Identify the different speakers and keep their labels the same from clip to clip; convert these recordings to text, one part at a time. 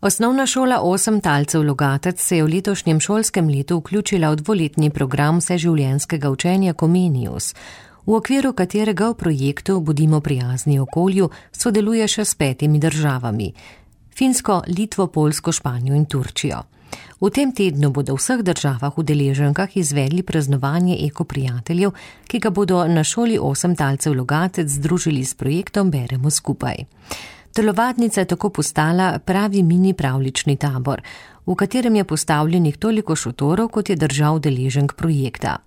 Speaker 1: Osnovna šola 8 talcev Logatec se je v letošnjem šolskem letu vključila v dvoletni program vseživljenjskega učenja Comenius, v okviru katerega v projektu Bodimo prijazni okolju sodeluje še s 5 državami: Finsko, Litvo, Poljsko, Španijo in Turčijo. V tem tednu bodo v vseh državah udeleženkah izvedli praznovanje ekoprijateljev, ki ga bodo na šoli 8 talcev Logatec združili s projektom Beremo skupaj. Telovadnica je tako postala pravi mini pravljični tabor, v katerem je postavljenih toliko šotorov, kot je držav udeleženk projekta.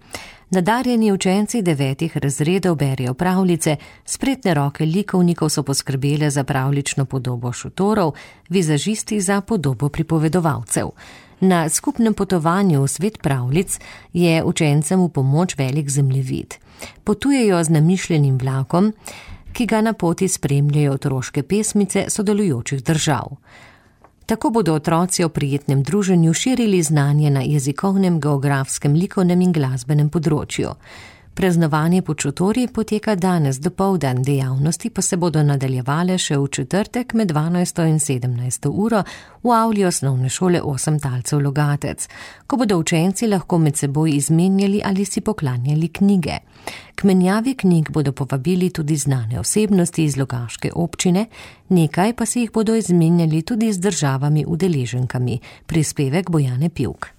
Speaker 1: Nadarjeni učenci 9 razredov berejo pravljice, spretne roke likovnikov so poskrbele za pravljično podobo šotorov, vizažisti za podobo pripovedovalcev. Na skupnem potovanju v svet pravljic je učencem v pomoč velik zemljevid. Potujejo z namišljenim vlakom, ki ga na poti spremljajo otroške pesmice sodelujočih držav. Tako bodo otroci o prijetnem druženju širili znanje na jezikovnem, geografskem, likovnem in glasbenem področju. Praznovanje pod šotorji poteka danes dopoldan, dejavnosti pa se bodo nadaljevale še v četrtek med 12. in 17. uro v avli osnovne šole 8 talcev Logatec, ko bodo učenci lahko med seboj izmenjali ali si poklanjali knjige. K menjavi knjig bodo povabili tudi znane osebnosti iz logaške občine, nekaj pa si jih bodo izmenjali tudi z državami udeleženkami. Prispevek Bojane Pivk.